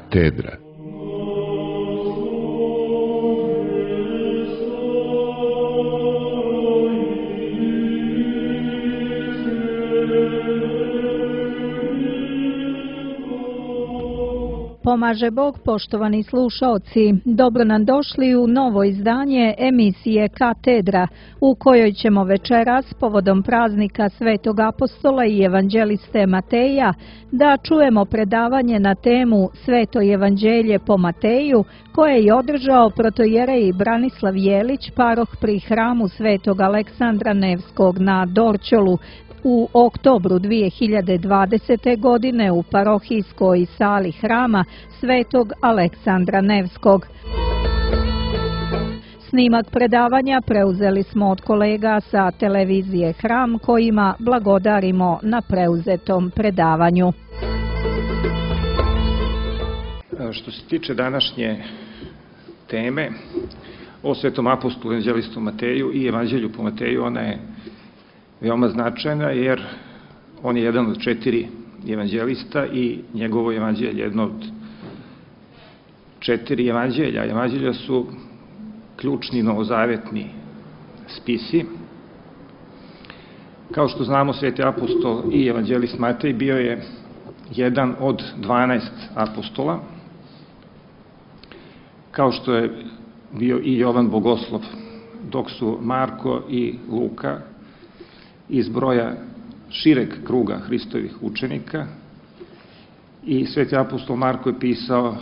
Katedra. Pomaže Bog, poštovani slušaoci. Dobro nam došli u novo izdanje emisije Katedra, u kojoj ćemo večeras, povodom praznika Svetog apostola i evanđeliste Mateja, da čujemo predavanje na temu Sveto evanđelje po Mateju, koje je održao protojerej Branislav Jelić, paroh pri hramu Svetog Aleksandra Nevskog na Dorćolu, u oktobru 2020. godine u parohijskoj sali hrama Svetog Aleksandra Nevskog. Snimak predavanja preuzeli smo od kolega sa televizije Hram, kojima blagodarimo na preuzetom predavanju. Što se tiče današnje teme o Svetom apostolu evanđelistu Mateju i evanđelju po Mateju, ona je veoma značajna jer on je jedan od 4 evanđelista i njegovo evanđelje je jedno od 4 evanđelja. Evanđelja su ključni novozavetni spisi. Kao što znamo, Sveti apostol i evanđelist Matej bio je jedan od 12 apostola, kao što je bio i Jovan Bogoslov, dok su Marko i Luka iz broja šireg kruga Hristovih učenika, i Sveti apostol Marko je pisao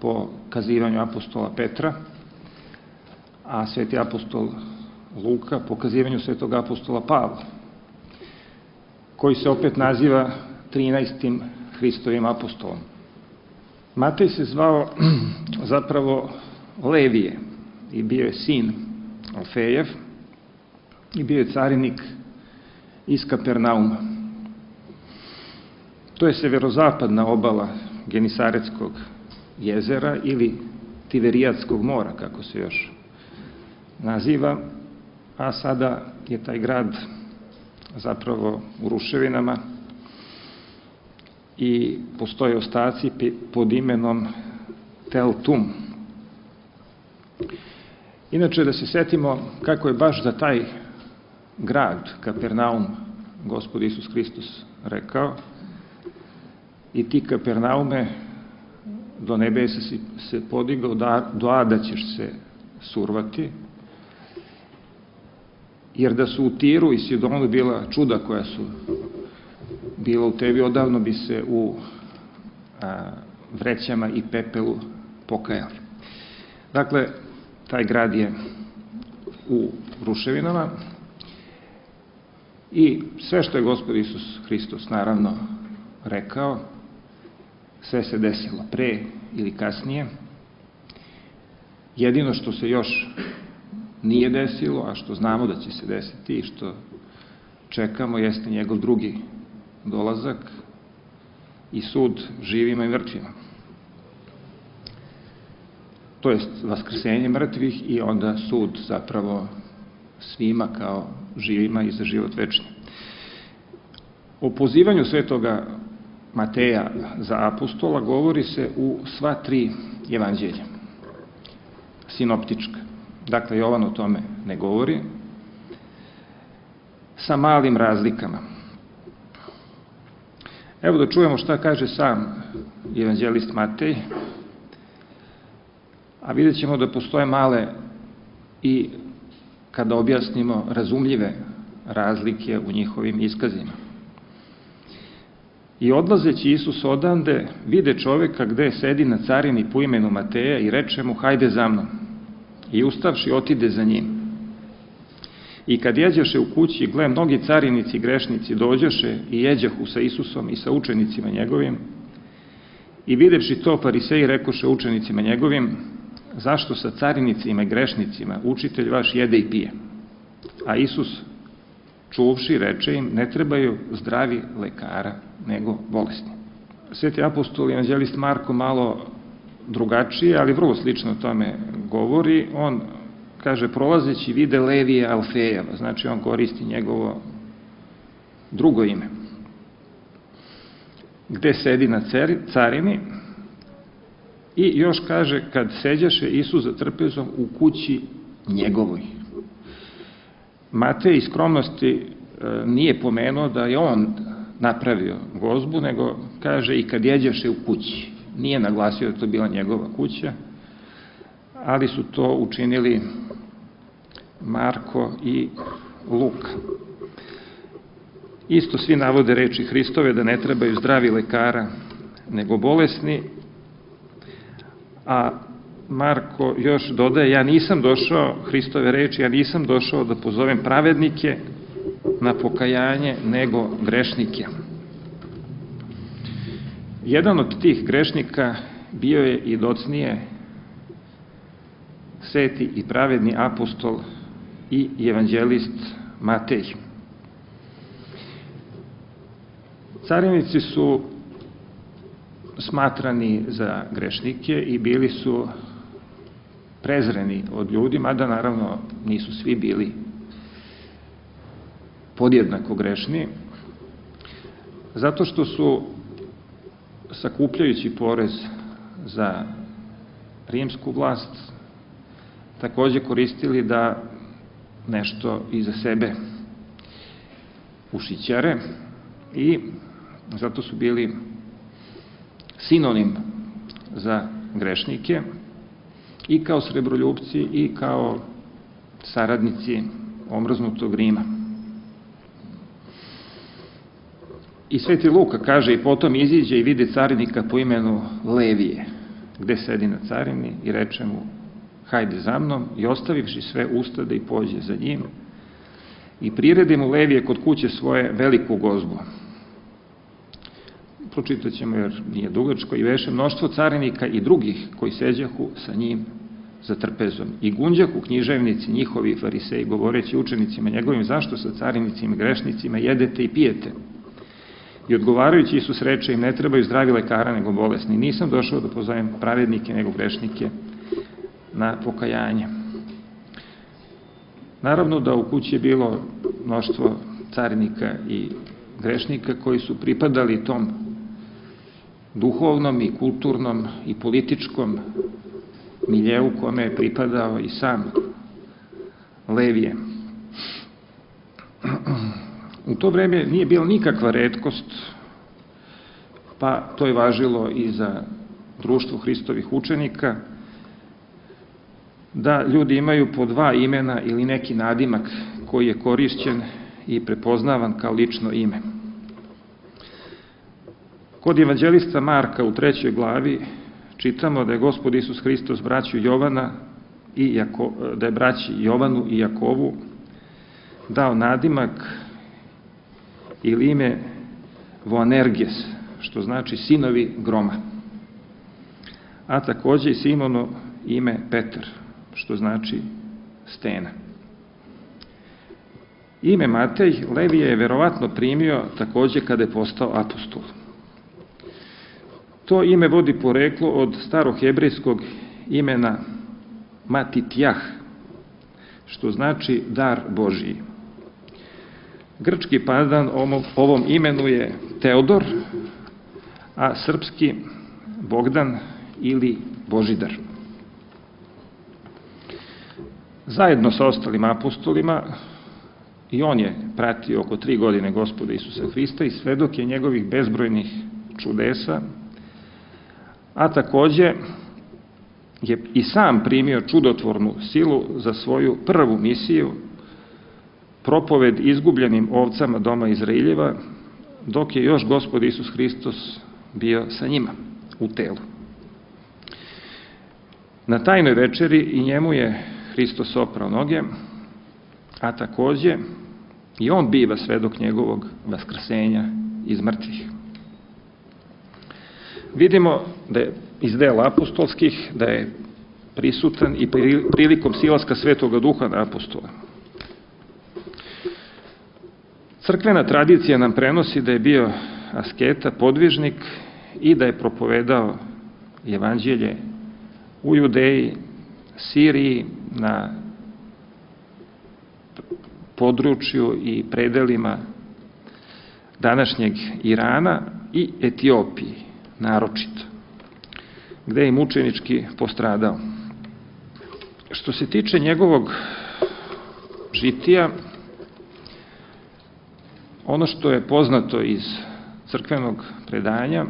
po kazivanju apostola Petra, a Sveti apostol Luka po kazivanju Svetog apostola Pavla, koji se opet naziva 13. Hristovim apostolom. Matej se zvao zapravo Levije i bio je sin Alfejev i bio je carinik iz Kapernauma. To je severozapadna obala Genisaretskog jezera ili Tiberijatskog mora, kako se još naziva, a sada je taj grad zapravo u ruševinama i postoje ostaci pod imenom Tel Tum. Inače, da se setimo kako je baš za taj grad, Kapernaum, Gospod Isus Hristos rekao: i ti, Kapernaume, do nebesa si se podigao, do ada ćeš se survati, jer da su u Tiru i Sidonu bila čuda koja su bila u tebi, odavno bi se u vrećama i pepelu pokajali. Dakle, taj grad je u ruševinama i sve što je Gospod Isus Hristos naravno rekao, sve se desilo pre ili kasnije. Jedino što se još nije desilo, a što znamo da će se desiti i što čekamo, jeste njegov drugi dolazak i sud živima i mrtvima. To jest vaskrsenje mrtvih i onda sud zapravo svima kao živima i za život večni. O pozivanju Svetoga Mateja za apostola govori se u sva 3 evanđelja, sinoptička. Dakle, Jovan o tome ne govori, sa malim razlikama. Evo da čujemo šta kaže sam evanđelist Matej, a vidjet ćemo da postoje male i, kada objasnimo, razumljive razlike u njihovim iskazima. I odlazeći Isus odande, vide čoveka gde sedi na carini po imenu Mateja i reče mu: hajde za mnom. I ustavši, otide za njim. I kad jeđeše u kući, gle, mnogi carinici i grešnici dođoše i jeđahu sa Isusom i sa učenicima njegovim. I videvši to, fariseji rekoše učenicima njegovim: zašto sa carinicima i grešnicima učitelj vaš jede i pije? A Isus, čuvši, reče im: ne trebaju zdravi lekara, nego bolesni. Sveti apostol i evanđelist Marko malo drugačije, ali vrlo slično tome govori. On kaže: prolazeći vide Levija Alfejeva, znači on koristi njegovo drugo ime. Gde sedi na carini, I još kaže, kad seđaše Isus za trpezom u kući njegovoj. Matej iz skromnosti nije pomenuo da je on napravio gozbu, nego kaže i kad jeđaše u kući. Nije naglasio da je to bila njegova kuća, ali su to učinili Marko i Luka. Isto svi navode reči Hristove da ne trebaju zdravi lekara, nego bolesni, a Marko još dodaje, ja nisam došao, Hristove reči, ja nisam došao da pozovem pravednike na pokajanje, nego grešnike. Jedan od tih grešnika bio je i docnije sveti i pravedni apostol i evanđelist Matej. Carinici su smatrani za grešnike i bili su prezreni od ljudi, mada naravno nisu svi bili podjednako grešni, zato što su, sakupljajući porez za rimsku vlast, takođe koristili da nešto iza sebe ušićare i zato su bili sinonim za grešnike i kao srebroljupci i kao saradnici omrznutog Rima. I sveti Luka kaže, i potom iziđe i vidi carinika po imenu Levije, gde sedi na carini i reče mu, hajde za mnom, i ostavivši sve ustade i pođe za njim i priredi mu Levije kod kuće svoje veliku gozbu. Pročitat ćemo jer nije dugačko, i veše mnoštvo carinika i drugih koji seđahu sa njim za trpezom. I gunđahu književnici njihovi fariseji, govoreći učenicima njegovim, zašto sa carinicima i grešnicima jedete i pijete? I odgovarajući Isus reče im, ne trebaju zdravi lekara nego bolesni. Nisam došao da pozovem pravednike nego grešnike na pokajanje. Naravno da u kući je bilo mnoštvo carinika i grešnika koji su pripadali tom duhovnom i kulturnom i političkom miljeu kome je pripadao i sam Levije. U to vreme nije bila nikakva retkost, pa to je važilo i za društvo Hristovih učenika, da ljudi imaju po dva imena ili neki nadimak koji je korišćen i prepoznavan kao lično ime. Kod evanđelista Marka u 3. glavi čitamo da je Gospod Isus Hristos braću Jovana i da je braći Jovanu i Jakovu dao nadimak ili ime Boanerges, što znači sinovi groma, a takođe i Simonu ime Petar, što znači stena. Ime Matej Levije je verovatno primio takođe kada je postao apostol. To ime vodi poreklo od starohebrejskog imena Matitjah, što znači dar Božiji. Grčki pandan ovom imenu je Teodor, a srpski Bogdan ili Božidar. Zajedno sa ostalim apostolima, i on je pratio oko 3 godine Gospoda Isusa Hrista i svedok je njegovih bezbrojnih čudesa, a takođe je i sam primio čudotvornu silu za svoju prvu misiju, propoved izgubljenim ovcama doma Izraeljeva, dok je još Gospod Isus Hristos bio sa njima u telu. Na tajnoj večeri i njemu je Hristos oprao noge, a takođe i on biva svedok njegovog vaskrsenja iz mrtvih. Vidimo da je iz dela apostolskih da je prisutan i prilikom silaska Svetoga Duha na apostola. Crkvena tradicija nam prenosi da je bio asketa, podvižnik i da je propovedao evanđelje u Judeji, Siriji, na području i predelima današnjeg Irana i Etiopiji naročito. gde je mučenički postradao. Što se tiče njegovog žitija, ono što je poznato iz crkvenog predanja,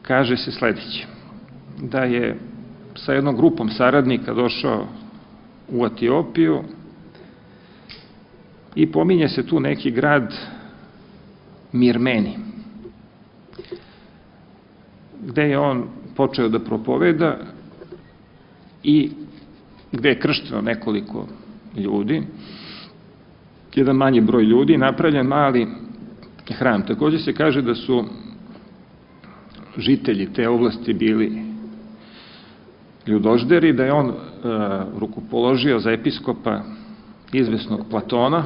kaže se sledeće, da je sa jednom grupom saradnika došao u Etiopiju i pominje se tu neki grad Mirmeni, gde je on počeo da propoveda i gde je kršteno nekoliko ljudi, jedan manji broj ljudi, napravljen mali hram. Takođe se kaže da su žitelji te oblasti bili ljudožderi, da je on rukopoložio za episkopa izvesnog Platona,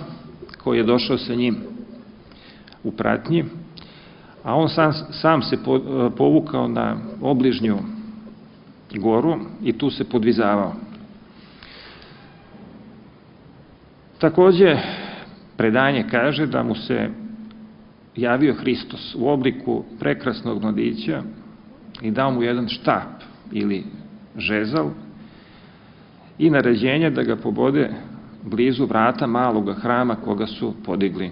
koji je došao sa njim u pratnji, a on sam se povukao na obližnju goru i tu se podvizavao. Takođe, predanje kaže da mu se javio Hristos u obliku prekrasnog mladića i dao mu jedan štap ili žezal i naređenje da ga pobode blizu vrata maloga hrama koga su podigli.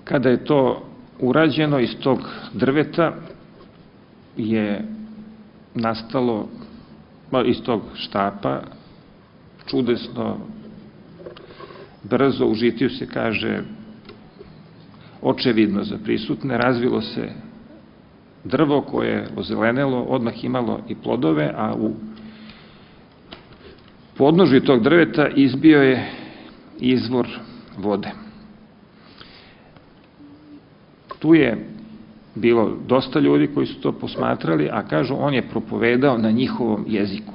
Kada je to urađeno, iz tog drveta je nastalo, iz tog štapa, čudesno, brzo, u žitiju se kaže, očevidno za prisutne, razvilo se drvo koje je ozelenelo, odmah imalo i plodove, a u podnožju tog drveta izbio je izvor vode. Tu je bilo dosta ljudi koji su to posmatrali, a kažu, on je propovedao na njihovom jeziku.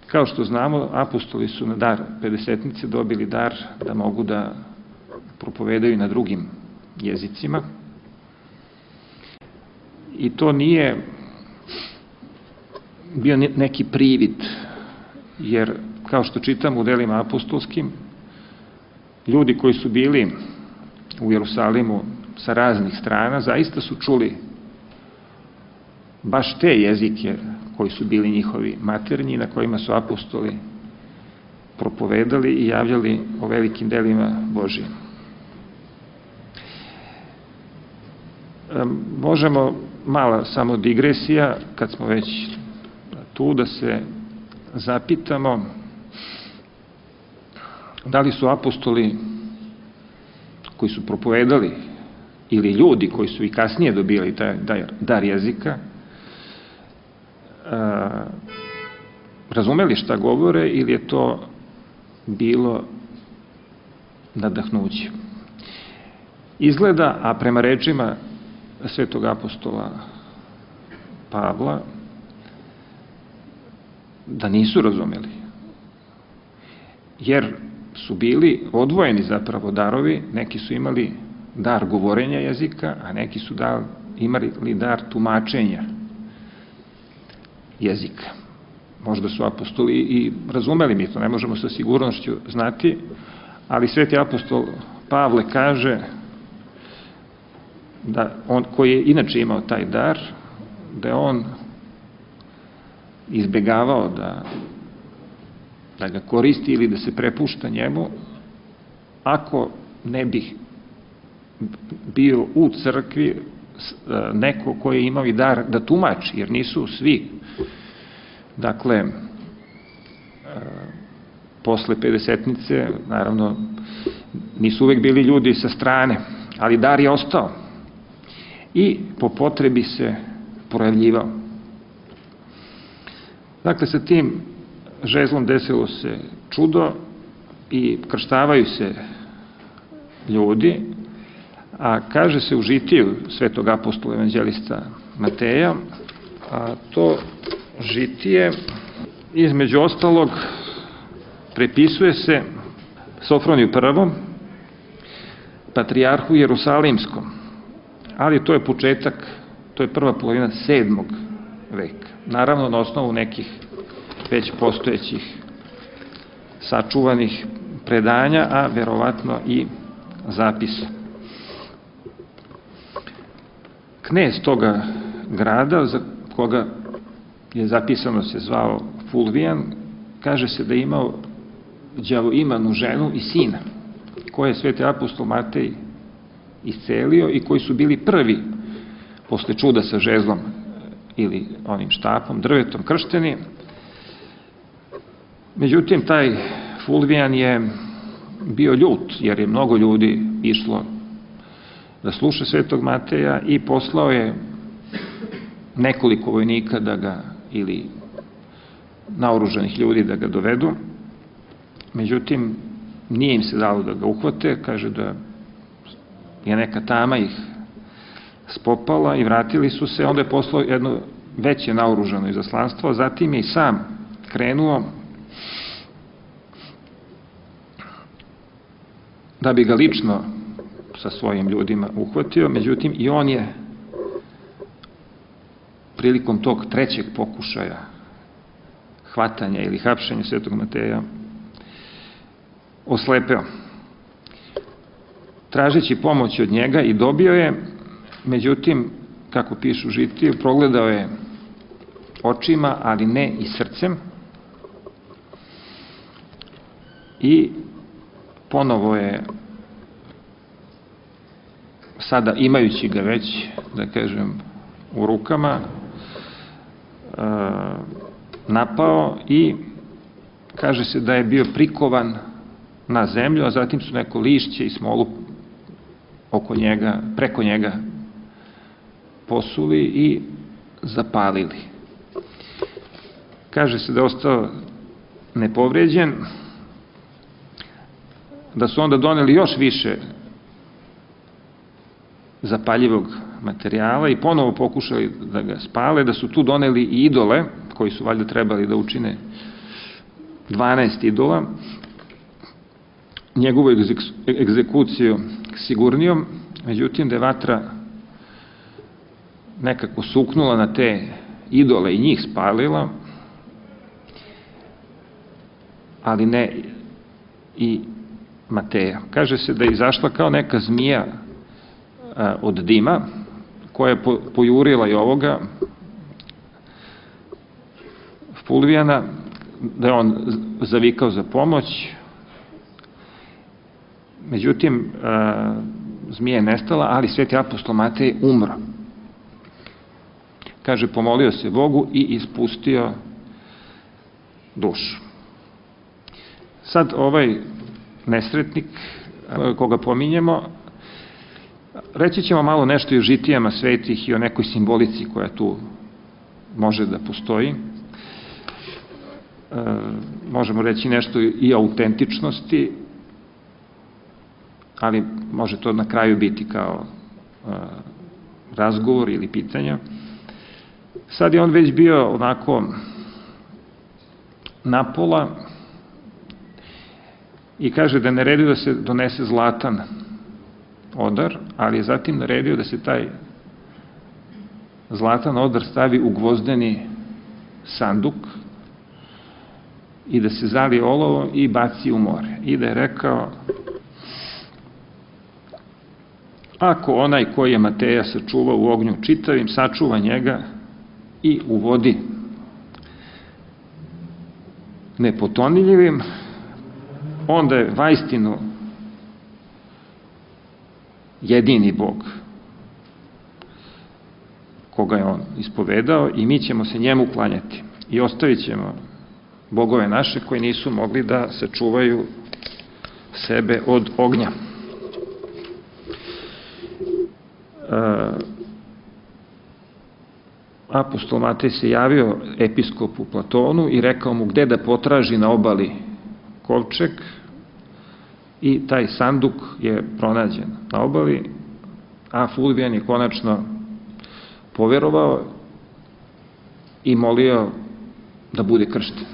Kao što znamo, apostoli su na dar pedesetnice dobili dar da mogu da propovedaju na drugim jezicima. I to nije bio neki privid, jer kao što čitam u delima apostolskim, ljudi koji su bili u Jerusalimu sa raznih strana, zaista su čuli baš te jezike koji su bili njihovi maternji, na kojima su apostoli propovedali i javljali o velikim delima Božijim. Možemo mala samo digresija, kad smo već tu, da se zapitamo da li su apostoli koji su propovedali ili ljudi koji su i kasnije dobili taj dar jezika razumeli šta govore ili je to bilo nadahnuće. Izgleda, a prema rečima svetog apostola Pavla, da nisu razumeli, jer su bili odvojeni zapravo darovi, neki su imali dar govorenja jezika, a neki su imali dar tumačenja jezika. Možda su apostoli i razumeli, mi to ne možemo sa sigurnošću znati, ali sveti apostol Pavle kaže da on, koji je inače imao taj dar, da je on izbegavao da ga koristi ili da se prepušta njemu, ako ne bi bio u crkvi neko koji je imao i dar da tumači, jer nisu svi. Dakle, posle pedesetnice, naravno, nisu uvek bili ljudi sa strane, ali dar je ostao i po potrebi se projavljivao. Dakle, sa tim žezlom desilo se čudo i krštavaju se ljudi, a kaže se u žitiju svetog apostola evanđelista Mateja, a to žitije, između ostalog, prepisuje se Sofroniju I, patrijarhu Jerusalimskom, ali to je početak, to je prva polovina 7. veka. Naravno, na osnovu nekih već postojećih sačuvanih predanja, a verovatno i zapisa. knez toga grada, za koga je zapisano se zvao Fulvijan, kaže se da je imao đavoimanu ženu i sina, koje je sveti apostol Matej iscelio i koji su bili prvi posle čuda sa žezlom ili onim štapom, drvetom kršteni. Međutim, taj Fulvijan je bio ljut, jer je mnogo ljudi išlo da sluša svetog Mateja i poslao je nekoliko vojnika da ga, ili naoružanih ljudi da ga dovedu. Međutim, nije im se dalo da ga uhvate, kaže da je neka tama ih spopala i vratili su se. Onda je poslao jedno veće naoružano izaslanstvo, a zatim je i sam krenuo da bi ga lično sa svojim ljudima uhvatio. Međutim, i on je prilikom tog trećeg pokušaja hvatanja ili hapšenja svetog Mateja oslepeo. Tražeći pomoć od njega i dobio je, međutim, kako pišu žitije, progledao je očima, ali ne i srcem, i ponovo je, sada imajući ga već, da kažem, u rukama, napao i kaže se da je bio prikovan na zemlju, a zatim su neko lišće i smolu oko njega, preko njega posuli i zapalili. Kaže se da je ostao nepovređen, da su onda doneli još više zapaljivog materijala i ponovo pokušali da ga spale, da su tu doneli i idole, koji su valjda trebali da učine 12 idola, njegovu egzekuciju sigurnijom. Međutim, da je vatra nekako suknula na te idole i njih spalila, ali ne i Mateja. Kaže se da je izašla kao neka zmija od dima, koja je pojurila i ovoga Fulvijana, da je on zavikao za pomoć. Međutim, zmija je nestala, ali sveti apostol Matej umro. Kaže, pomolio se Bogu i ispustio dušu. Sad ovaj nesretnik koga pominjemo, reći ćemo malo nešto i o žitijama svetih i o nekoj simbolici koja tu može da postoji. Možemo reći nešto i o autentičnosti, ali može to na kraju biti kao razgovor ili pitanja. Sad je on već bio onako napola i kaže da je naredio da se donese zlatan odar, ali je zatim naredio da se taj zlatan odar stavi u gvozdeni sanduk i da se zalije olovom i baci u more. I da je rekao, ako onaj koji je Mateja sačuvao u ognju čitavim, sačuva njega i u vodi nepotonljivim, onda je vaistinu jedini Bog koga je on ispovedao i mi ćemo se njemu klanjati i ostavit ćemo bogove naše koji nisu mogli da sačuvaju sebe od ognja. Apostol Matej se javio episkopu Platonu i rekao mu gde da potraži na obali kovčeg, i taj sanduk je pronađen na obali, a Fulvijan je konačno poverovao i molio da bude kršten.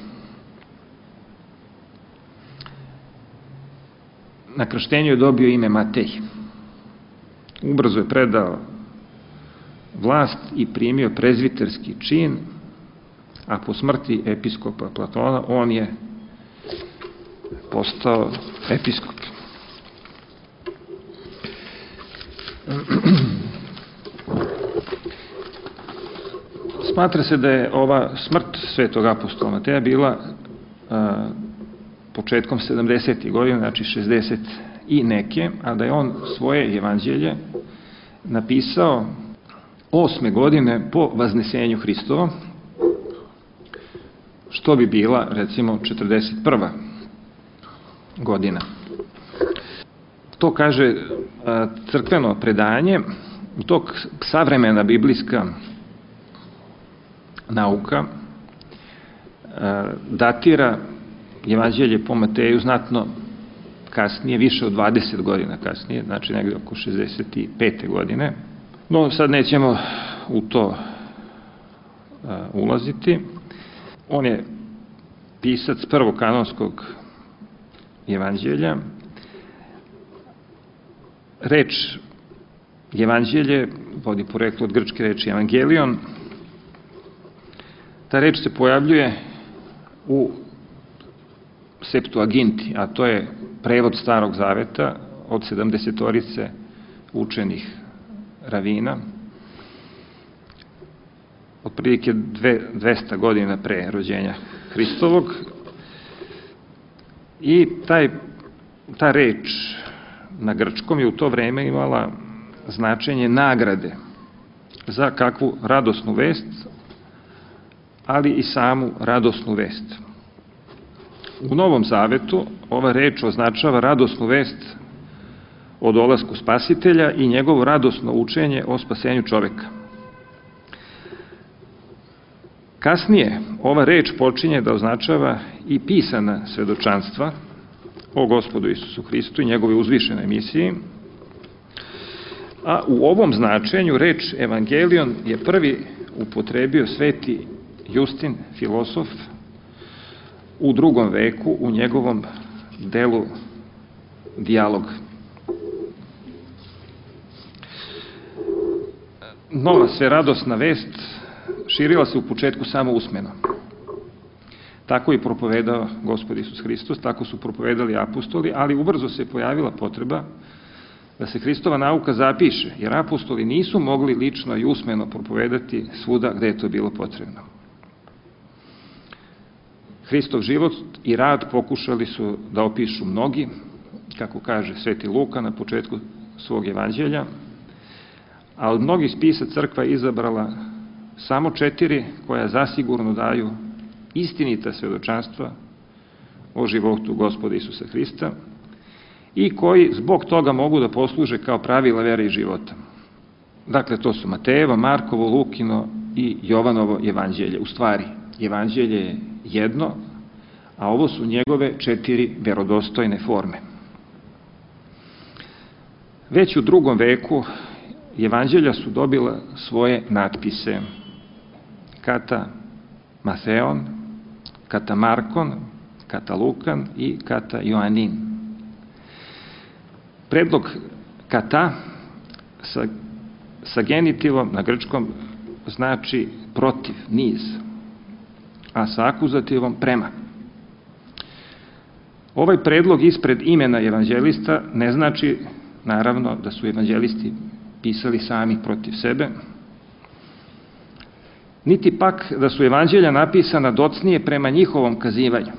Na krštenju je dobio ime Matej. Ubrzo je predao vlast i primio prezviterski čin, a po smrti episkopa Platona on je postao episkop. smatra se da je ova smrt svetog apostola Mateja bila početkom 70. godina, znači 60 i neke, a da je on svoje evanđelje napisao 8. godine po vaznesenju Hristovom, što bi bila, recimo, 41. godina. To kaže crkveno predanje, dok savremena biblijska nauka datira evanđelje po Mateju znatno kasnije, više od 20 godina kasnije, znači negde oko 65. godine. No, sad nećemo u to ulaziti. On je pisac prvog kanonskog evanđelja. Reč evanđelje vodi poreklo od grčke reči evangelion. Ta reč se pojavljuje u Septuaginti, a to je prevod Starog zaveta od 70-orice učenih ravina, otprilike 200 godina pre rođenja Hristovog. I ta reč na grčkom je u to vreme imala značenje nagrade za kakvu radosnu vest, ali i samu radosnu vest. U Novom zavetu ova reč označava radosnu vest o dolasku Spasitelja i njegovo radosno učenje o spasenju čoveka. Kasnije ova reč počinje da označava i pisana svedočanstva o Gospodu Isusu Hristu i njegove uzvišenoj misiji, a u ovom značenju reč evangelion je prvi upotrebio sveti Justin, filosof, u 2. veku u njegovom delu Dijalog. Nova sveradosna vest širila se u početku samo usmeno. Tako je propovedao Gospod Isus Hristos, tako su propovedali apostoli, ali ubrzo se pojavila potreba da se Hristova nauka zapiše, jer apostoli nisu mogli lično i usmeno propovedati svuda gde je to bilo potrebno. Hristov život i rad pokušali su da opišu mnogi, kako kaže sveti Luka na početku svog evanđelja, a od mnogih spisa crkva je izabrala samo 4 koja zasigurno daju istinita svedočanstva o životu Gospoda Isusa Hrista i koji zbog toga mogu da posluže kao pravila vere i života. Dakle, to su Matejevo, Markovo, Lukino i Jovanovo evanđelje. U stvari, evanđelje je jedno, a ovo su njegove 4 verodostojne forme. Već u 2. veku evanđelja su dobila svoje natpise. Kata Mateon, kata Markon, kata Lukan i kata Joanin. Predlog kata sa genitivom na grčkom znači protiv, niz, a sa akuzativom prema. Ovaj predlog ispred imena evanđelista ne znači, naravno, da su evanđelisti pisali sami protiv sebe, niti pak da su evanđelja napisana docnije prema njihovom kazivanju.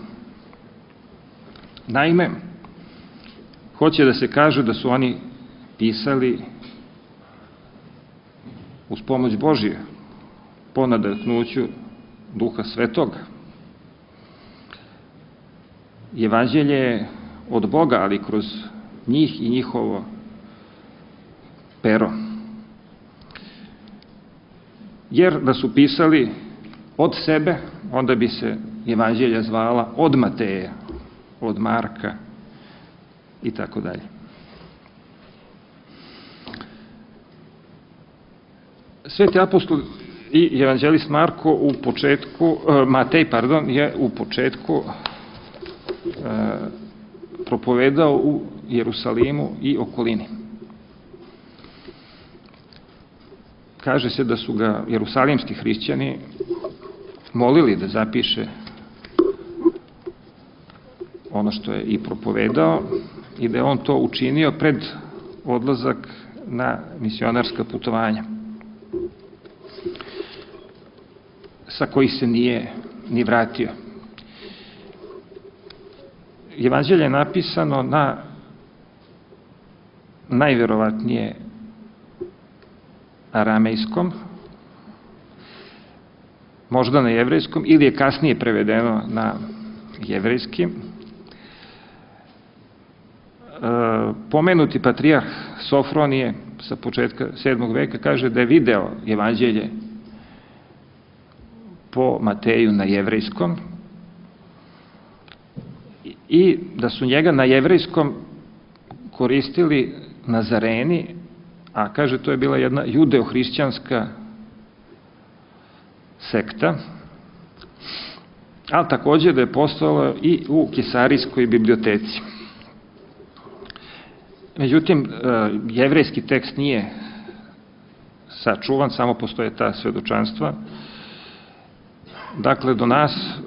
Naime, hoće da se kaže da su oni pisali uz pomoć Božije, po nadahnuću Duha Svetoga. Evanđelje je od Boga, ali kroz njih i njihovo pero. Jer da su pisali od sebe, onda bi se evanđelja zvala od Mateja, od Marka i tako dalje. Sveti apostol i evanđelist Marko je u početku propovedao u Jerusalimu i okolini. Kaže se da su ga jerusalimski hrišćani molili da zapiše ono što je i propovedao i da je on to učinio pred odlazak na misionarska putovanja. sa kojih se nije ni vratio. Evanđelje je napisano na najverovatnije aramejskom, možda na jevrejskom, ili je kasnije prevedeno na jevrejski. Pomenuti patrijarh Sofronije sa početka 7. veka kaže da je video evanđelje po Mateju na jevrejskom i da su njega na jevrejskom koristili Nazareni, a kaže to je bila jedna judeo-hrišćanska sekta, ali takođe da je postojalo i u Kesarijskoj biblioteci. Međutim, jevrejski tekst nije sačuvan, samo postoje ta svedočanstva. Dakle, do nas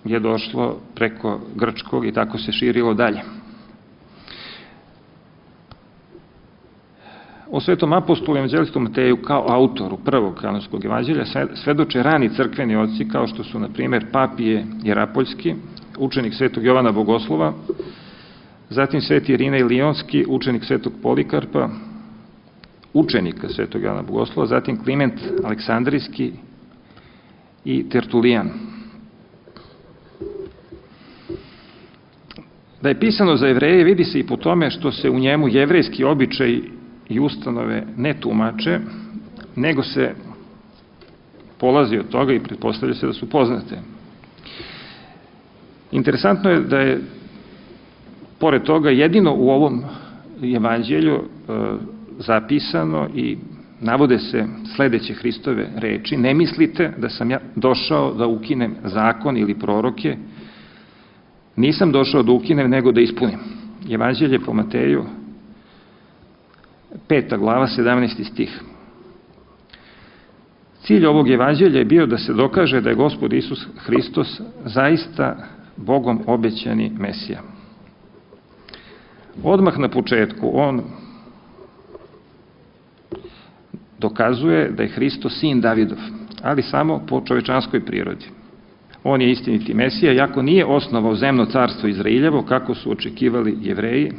je došlo preko grčkog i tako se širilo dalje. O svetom apostolu i evanđelistu Mateju kao autoru prvog kanonskog evanđelja svedoče rani crkveni oci kao što su, na primjer, Papije Jerapoljski, učenik svetog Jovana Bogoslova, zatim sveti Irinej Lionski, učenik svetog Polikarpa, učenika svetog Jovana Bogoslova, zatim Kliment Aleksandrijski i Tertulijan. Da je pisano za Jevreje vidi se i po tome što se u njemu jevrejski običaj i ustanove ne tumače, nego se polazi od toga i pretpostavlja se da su poznate. Interesantno je da je pored toga jedino u ovom evanđelju zapisano i navode se sledeće Hristove reči: ne mislite da sam ja došao da ukinem zakon ili proroke, nisam došao da ukinem nego da ispunim. Evanđelje po Mateju 5. glava, 17. stih. Cilj ovog evanđelja je bio da se dokaže da je Gospod Isus Hristos zaista Bogom obećani Mesija. Odmah na početku on dokazuje da je Hristos sin Davidov, ali samo po čovečanskoj prirodi. On je istiniti Mesija, iako nije osnovao zemno carstvo Izrailjevo, kako su očekivali Jevreji,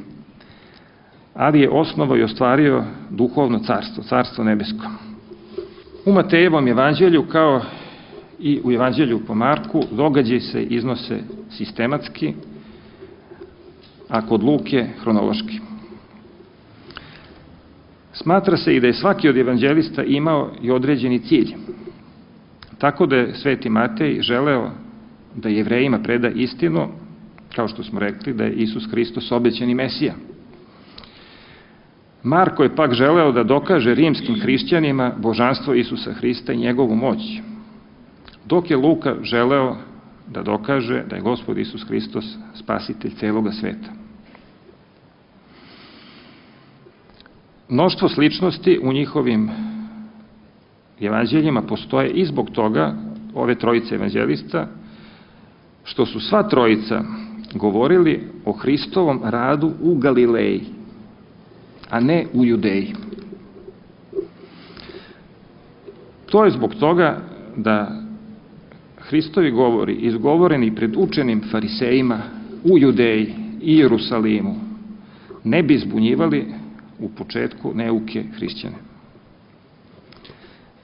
ali je osnovao i ostvario duhovno carstvo, carstvo nebesko. U Matejevom evanđelju, kao i u evanđelju po Marku, događaji se iznose sistematski, a kod Luke hronološki. Smatra se i da je svaki od evanđelista imao i određeni cilj, tako da je sveti Matej želeo da Jevrejima preda istinu, kao što smo rekli, da je Isus Hristos obećani Mesija. Marko je pak želeo da dokaže rimskim hrišćanima božanstvo Isusa Hrista i njegovu moć, dok je Luka želeo da dokaže da je Gospod Isus Hristos spasitelj celoga sveta. Mnoštvo sličnosti u njihovim evanđeljima postoje i zbog toga, ove trojice evanđelista, što su sva trojica govorili o Hristovom radu u Galileji, a ne u Judeji. To je zbog toga da Hristovi govori, izgovoreni pred učenim farisejima u Judeji i Jerusalimu, ne bi zbunjivali u početku neuke hrišćane.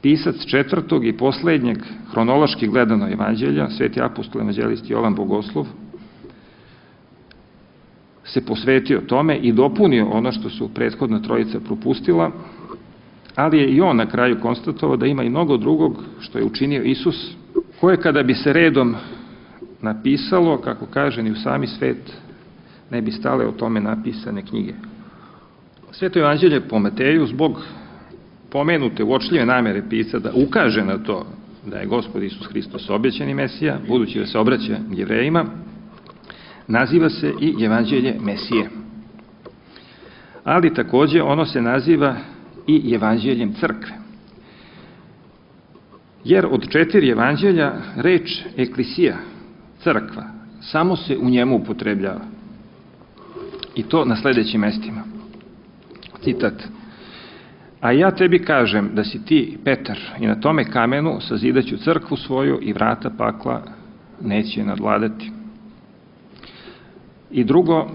Pisac četvrtog i poslednjeg hronološki gledano evanđelja, sveti apostol evanđelist Jovan Bogoslov, se posvetio tome i dopunio ono što su prethodna trojica propustila, ali je i on na kraju konstatovao da ima i mnogo drugog što je učinio Isus, koje kada bi se redom napisalo, kako kaže, ni u sami svet ne bi stale o tome napisane knjige. Sveto evanđelje po Mateju, zbog pomenute uočljive namere pisca da ukaže na to da je Gospod Isus Hristos obećani Mesija, budući da se obraća Jevrejima, naziva se i evanđelje Mesije. Ali takođe ono se naziva i evanđeljem crkve. Jer od 4 evanđelja reč eklisija, crkva, samo se u njemu upotrebljava. I to na sledećim mestima. Citat: A ja tebi kažem da si ti Petar i na tome kamenu sazidaću crkvu svoju i vrata pakla neće nadvladati. I drugo,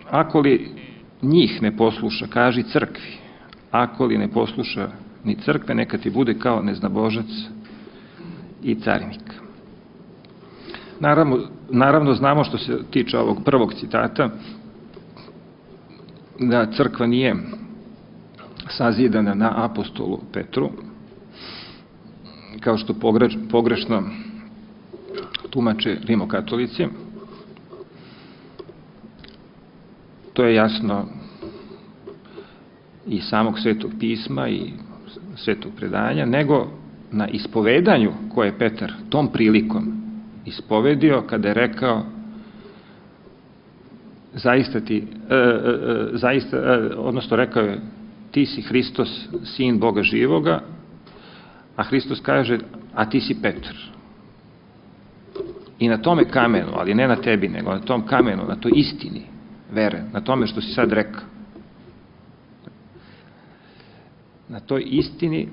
ako li njih ne posluša, kaži crkvi, ako li ne posluša ni crkve, neka ti bude kao neznabožac i carinik. Naravno, znamo što se tiče ovog prvog citata, da crkva nije sazidana na apostolu Petru, kao što pogrešno tumače rimokatolici. To je jasno i samog Svetog pisma i Svetog predanja, nego na ispovedanju koje je Petar tom prilikom ispovedio kada je rekao odnosno rekao je ti si Hristos, sin Boga živoga, a Hristos kaže, a ti si Petar. I na tome kamenu, ali ne na tebi, nego na tom kamenu, na toj istini vere, na tome što si sad rekao. Na toj istini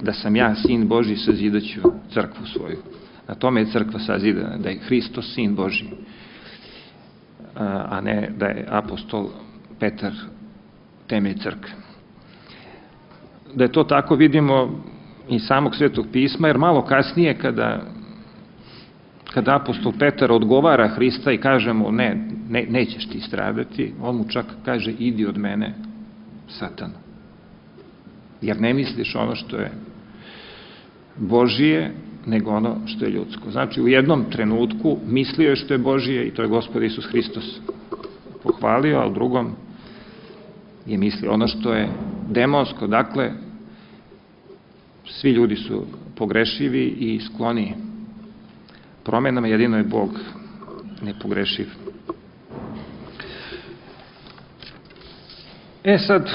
da sam ja, sin Božji, sazidaću crkvu svoju. Na tome je crkva sazidana, da je Hristos, sin Božji, a ne da je apostol Petar temelj crkve. Da je to tako vidimo iz samog Svetog pisma, jer malo kasnije kada apostol Petar odgovara Hrista i kaže mu nećeš ti stradati, on mu čak kaže idi od mene, Satanu, jer ne misliš ono što je Božije, nego ono što je ljudsko. Znači, u jednom trenutku mislio je što je Božije i to je Gospod Isus Hristos pohvalio, a u drugom je mislio ono što je demonsko. Dakle, svi ljudi su pogrešivi i skloni promenama, jedino je Bog nepogrešiv. Sad,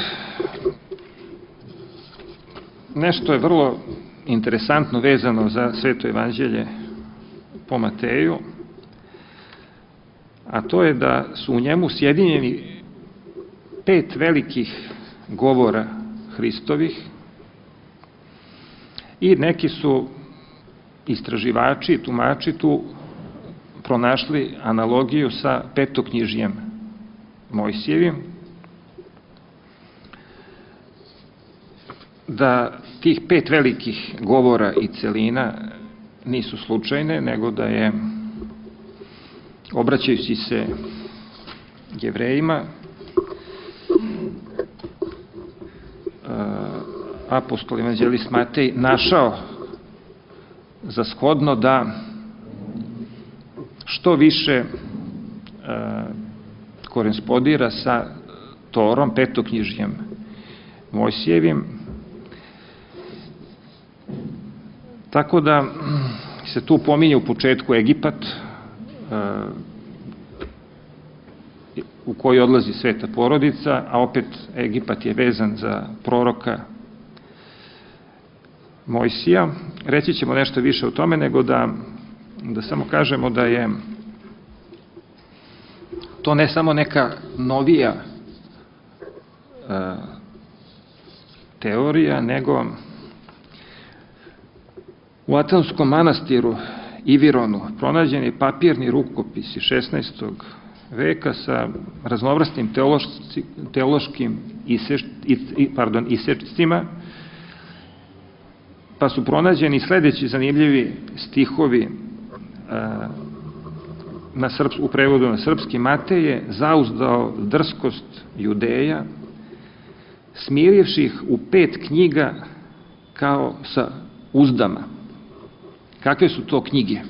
nešto je vrlo interesantno vezano za Sveto evanđelje po Mateju, a to je da su u njemu sjedinjeni 5 velikih govora Hristovih i neki su istraživači, tumači tu pronašli analogiju sa petoknjižjem Mojsijevim, da tih 5 velikih govora i celina nisu slučajne, nego da je, obraćajući se Jevrejima, apostol evanđelist Matej našao za shodno da što više korespondira sa Torom, petoknjižjem Mojsijevim. Tako da se tu pominje u početku Egipat, u koji odlazi sveta porodica, a opet Egipat je vezan za proroka Mojsija. Reći ćemo nešto više o tome, nego da samo kažemo da je to ne samo neka novija teorija, nego u Atonskom manastiru Ivironu pronađen je papirni rukopis iz 16. veka sa raznovrsnim teološkim isečcima, pa su pronađeni sledeći zanimljivi stihovi u prevodu na srpski. Matej je zauzdao drskost Judeja, smirivši ih u 5 knjiga kao sa uzdama. Kakve su to knjige?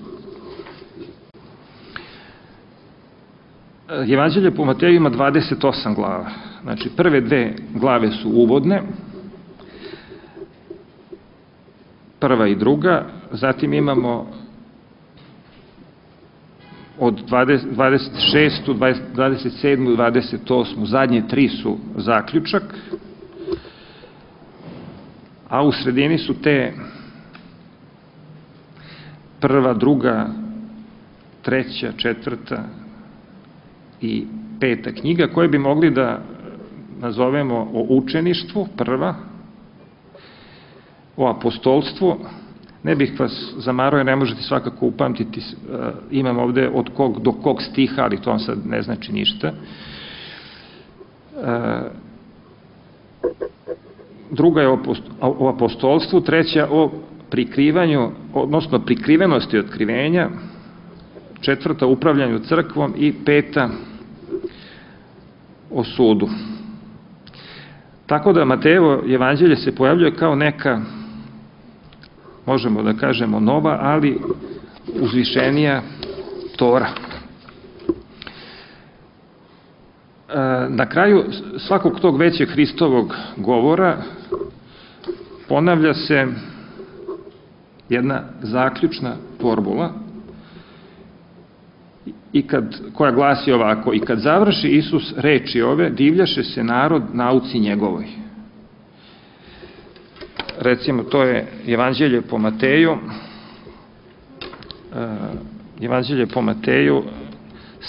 Evanđelje po Mateju ima 28 glava. Znači, prve 2 glave su uvodne, prva i druga, zatim imamo od 26., 27. i 28. Zadnje 3 su zaključak, a u sredini su te prva, druga, treća, četvrta i 5. knjiga, koje bi mogli da nazovemo o učeništvu, prva, o apostolstvu. Ne bih vas zamarao, ne možete svakako upamtiti, imam ovde od kog do kog stiha, ali to vam sad ne znači ništa. Druga je o apostolstvu, treća o prikrivanju, odnosno prikrivenosti otkrivenja, četvrta o upravljanju crkvom i peta o sudu. Tako da Matejevo evanđelje se pojavljuje kao neka, možemo da kažemo, nova, ali uzvišenija Tora. Na kraju svakog tog većeg Hristovog govora ponavlja se jedna zaključna formula koja glasi ovako: i kad završi Isus reči ove, divljaše se narod nauci njegovoj. Recimo, to je Evanđelje po Mateju, Evanđelje po Mateju,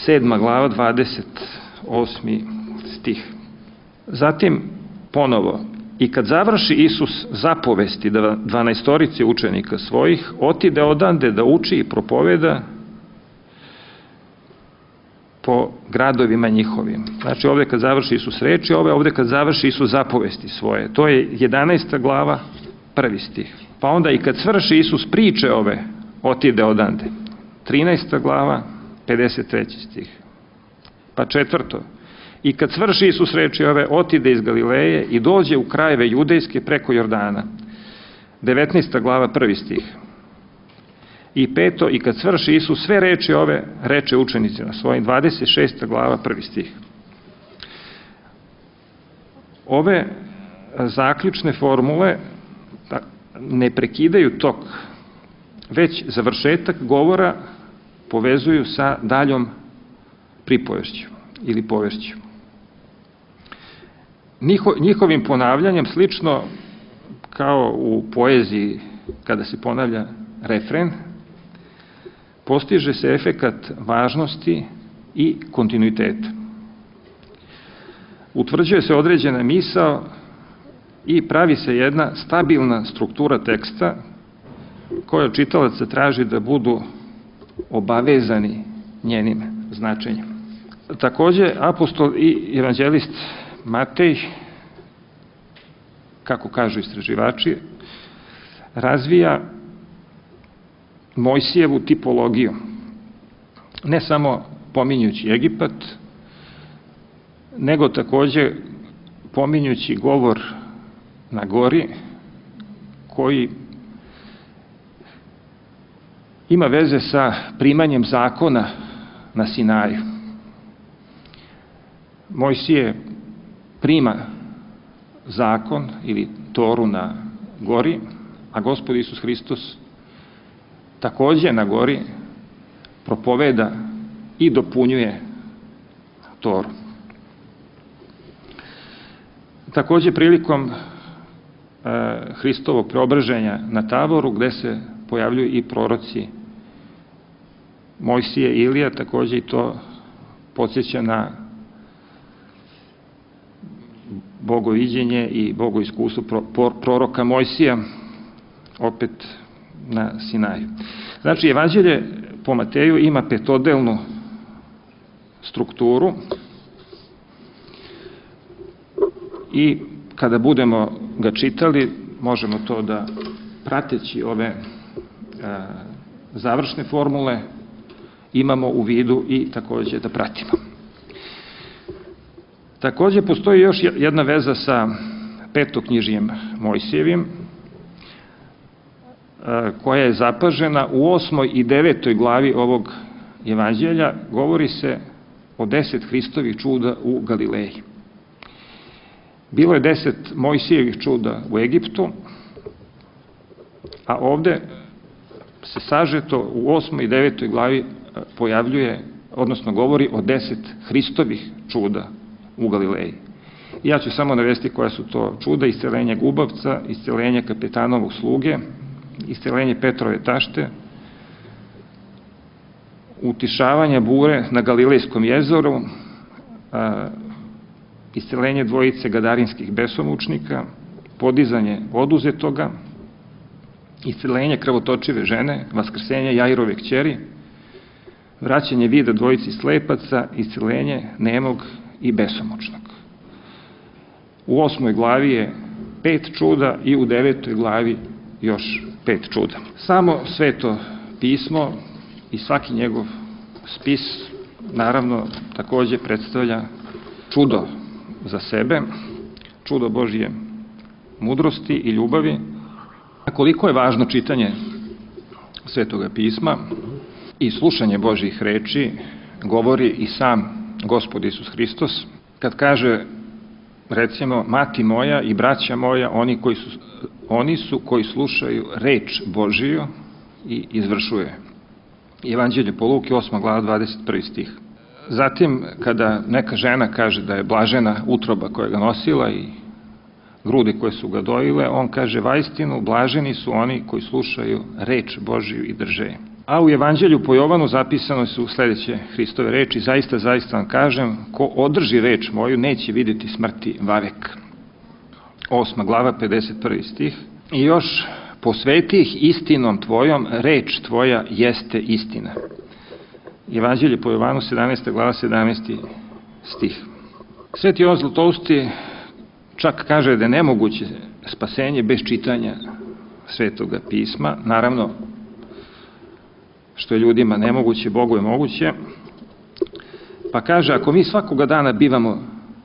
7. glava, 28. stih. Zatim, ponovo, i kad završi Isus zapovesti 12 učenika svojih, otide odande da uči i propoveda po gradovima njihovim. Znači, ovde kad završi Isus reči, ovde kad završi Isus zapovesti svoje. To je 11. glava, 1. stih. Pa onda i kad svrši Isus priče ove, otide odande. 13. glava, 53. stih. Pa 4. I kad svrši Isus reči ove, otide iz Galileje i dođe u krajeve judejske preko Jordana. 19. glava, 1. stih. I 5. I kad svrši Isus sve reči ove, reče učenicima svojim. 26. glava, 1. stih. Ove zaključne formule ne prekidaju tok, već završetak govora povezuju sa daljom pripovešću ili povešću. Njihovim ponavljanjem, slično kao u poeziji kada se ponavlja refren, postiže se efekat važnosti i kontinuiteta. Utvrđuje se određena misao i pravi se jedna stabilna struktura teksta koja od čitalaca traži da budu obavezani njenim značenjem. Takođe, apostol i evanđelist Matej, kako kažu istraživači, razvija Mojsijevu tipologiju, ne samo pominjući Egipat, nego takođe pominjući govor na gori, koji ima veze sa primanjem zakona na Sinaju. Mojsije prima zakon ili Toru na gori, a Gospod Isus Hristos takođe na gori propoveda i dopunjuje Toru. Takođe, prilikom Hristovog preobraženja na Taboru, gde se pojavljuju i proroci Mojsije i Ilija, takođe i to podsjeća na bogoviđenje i bogoiskustvo proroka Mojsija, opet na Sinaju. Znači, evanđelje po Mateju ima petodelnu strukturu i kada budemo ga čitali, možemo to da, prateći ove završne formule, imamo u vidu i takođe da pratimo. Takođe, postoji još jedna veza sa petoknjižjem Mojsijevim, koja je zapažena u 8. i 9. glavi ovog evanđelja. Govori se o 10 Hristovih čuda u Galileji. Bilo je 10 Mojsijevih čuda u Egiptu, a ovde se sažeto u 8. i 9. glavi pojavljuje, odnosno govori o 10 Hristovih čuda u Galileji. Ja ću samo navesti koja su to čuda: isceljenje gubavca, isceljenje kapetanovog sluge, isceljenje Petrove tašte, utišavanje bure na Galilejskom jezeru, isceljenje dvojice gadarinskih besomučnika, podizanje oduzetoga, isceljenje krvotočive žene, vaskrsenje Jairove kćeri, vraćanje vida dvojici slepaca, isceljenje nemog i besomučnog. U 8. glavi je 5 čuda i u 9. glavi još 5 čuda. Samo Sveto pismo i svaki njegov spis, naravno, takođe predstavlja čudo za sebe, čudo Božije mudrosti i ljubavi. A koliko je važno čitanje Svetoga pisma i slušanje Božjih reči, govori i sam Gospod Isus Hristos, kad kaže, recimo, mati moja i braća moja, oni su koji slušaju reč Božiju i izvršuje. Evanđelje po Luki, 8. glava, 21. stih. Zatim, kada neka žena kaže da je blažena utroba koja ga nosila i grudi koje su ga dojile, on kaže, vaistinu, blaženi su oni koji slušaju reč Božiju i drže je. A u Evanđelju po Jovanu zapisano su sledeće Hristove reči, zaista, zaista vam kažem, ko održi reč moju, neće vidjeti smrti vavek. 8. glava, 51. stih. I još, posveti ih istinom tvojom, reč tvoja jeste istina. Evanđelje po Jovanu, 17. glava, 17. stih. Sveti Jovan Zlatousti čak kaže da je nemoguće spasenje bez čitanja Svetoga pisma. Naravno, što je ljudima nemoguće, Bogu je moguće. Pa kaže, ako mi svakoga dana bivamo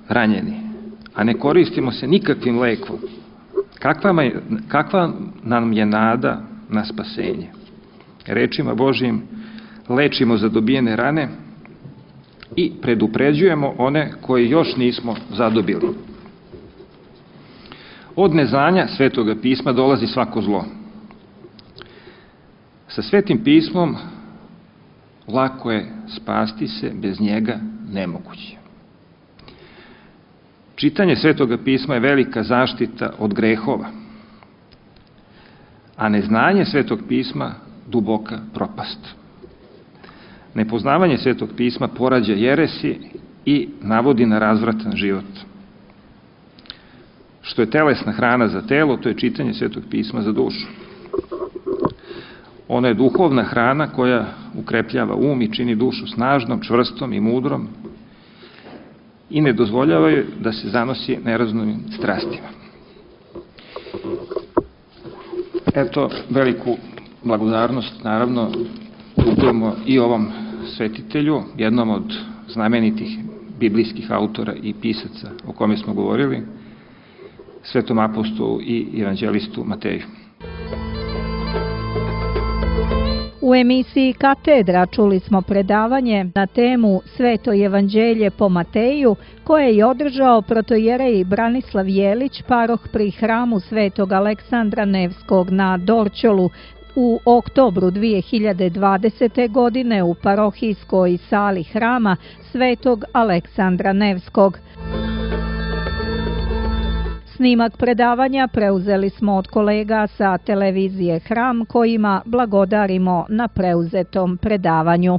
ranjeni, a ne koristimo se nikakvim lekom, kakva nam je nada na spasenje? Rečima Božijim lečimo zadobijene rane i predupređujemo one koje još nismo zadobili. Od neznanja Svetoga pisma dolazi svako zlo. Sa Svetim pismom lako je spasti se, bez njega nemoguće. Čitanje Svetoga pisma je velika zaštita od grehova, a neznanje Svetog pisma duboka propast. Nepoznavanje Svetog pisma porađa jeresi i navodi na razvratan život. Što je telesna hrana za telo, to je čitanje Svetog pisma za dušu. Ona je duhovna hrana koja ukrepljava um i čini dušu snažnom, čvrstom i mudrom i ne dozvoljava joj da se zanosi nerazumnim strastima. Eto, veliku blagodarnost, naravno, dugujemo i ovom svetitelju, jednom od znamenitih biblijskih autora i pisaca o kome smo govorili, svetom apostolu i evanđelistu Mateju. U emisiji Katedra čuli smo predavanje na temu Sveto evanđelje po Mateju, koje je održao protojerej Branislav Jelić, paroh pri hramu Svetog Aleksandra Nevskog na Dorćolu u oktobru 2020. godine u parohijskoj sali hrama Svetog Aleksandra Nevskog. Snimak predavanja preuzeli smo od kolega sa televizije Hram, kojima blagodarimo na preuzetom predavanju.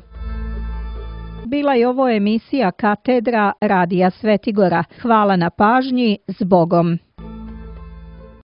Bila je ovo emisija Katedra Radija Svetigora. Hvala na pažnji, s Bogom!